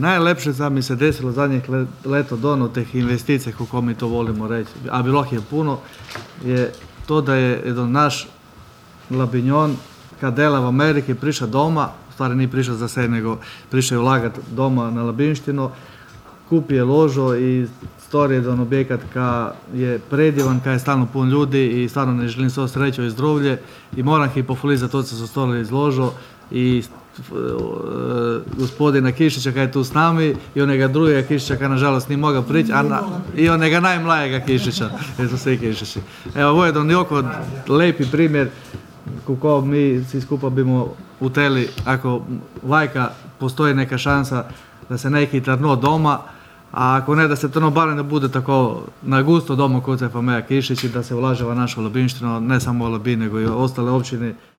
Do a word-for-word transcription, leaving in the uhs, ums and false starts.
Najlepše sad mi se desilo zadnjih leto dono teh investicij, kako mi to volimo reći, a bilo je puno, je to da je jedan naš Labinjon, kad dela v Ameriki, prišao doma, u stvari nije prišao za sebe, nego prišao je ulagati doma na Labinštino, kupi je ložo i stori jedan objekat ka je predivan, ka je stalno pun ljudi i stvarno ne želim svo srećo i zdravlje i moram ih pohvaliti za to što su stoli izložo i gospodina Kišića kaj je tu s nami i onega drugega Kišića kaj nažalost nije mogao prići i onega najmlajega Kišića, jer su svi Kišići. Evo, ovo je jedan jako lepi primjer kako mi svi skupa bimo uteli, ako lajka postoji neka šansa da se neki trno doma, a ako ne da se trno barem da bude tako na gusto doma kod se Fameja Kišić i da se ulaže v našo Labinštino, ne samo u Labin, nego i ostale općine.